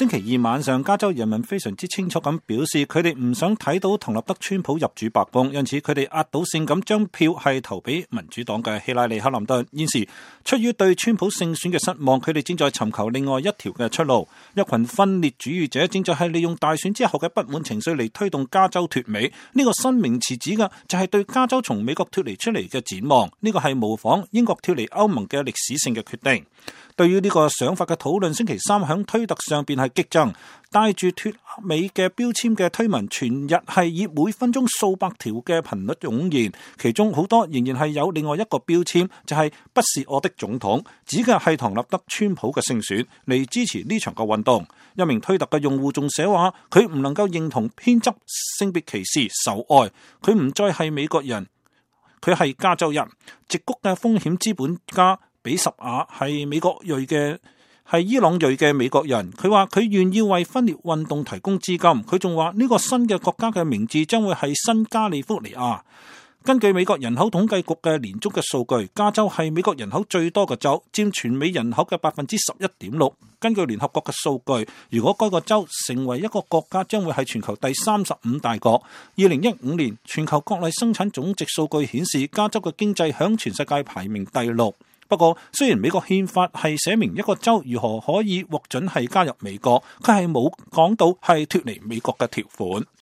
星期二晚上，加州人民非常之清楚咁表示，佢哋唔想睇到唐納德川普入主白宮，因此佢哋壓倒性咁將票係投俾民主黨嘅希拉里克林頓。現時出於對川普勝選嘅失望，佢哋正在尋求另外一條嘅出路。一群分裂主義者正在係利用大選之後嘅不滿情緒嚟推動加州脫美。呢個新名詞指嘅就係對加州從美國脫離出嚟嘅展望。呢個係模仿英國脫離歐盟嘅歷史性嘅決定。對於呢個想法嘅討論，星期三響推特上邊係激增，帶住脫美嘅標籤嘅推文，全日係以每分鐘數百條嘅頻率湧現，其中好多仍然係有另外一個標籤，就係不是我的總統，指嘅係唐納德川普嘅勝選，嚟支持呢場嘅運動。一名推特嘅用戶仲寫話，佢唔能夠認同偏執、性別歧視、仇愛，佢唔再係美國人，佢係加州人。矽谷嘅風險資本家比什亞係伊朗裔嘅美國人，佢話佢願意為分裂運動提供資金。佢仲話呢個新嘅國家嘅名字將會係新加利福尼亞。根據美國人口統計局嘅年終嘅數據，加州係美國人口最多嘅州，佔全美人口嘅 11.6%。根據聯合國嘅數據，如果該個州成為一個國家，將會係全球第35大國。2015年全球國內生產總值數據顯示，加州嘅經濟響全世界排名第6。不過，雖然美國憲法係寫明一個州如何可以獲准係加入美國，佢係冇講到係脫離美國嘅條款。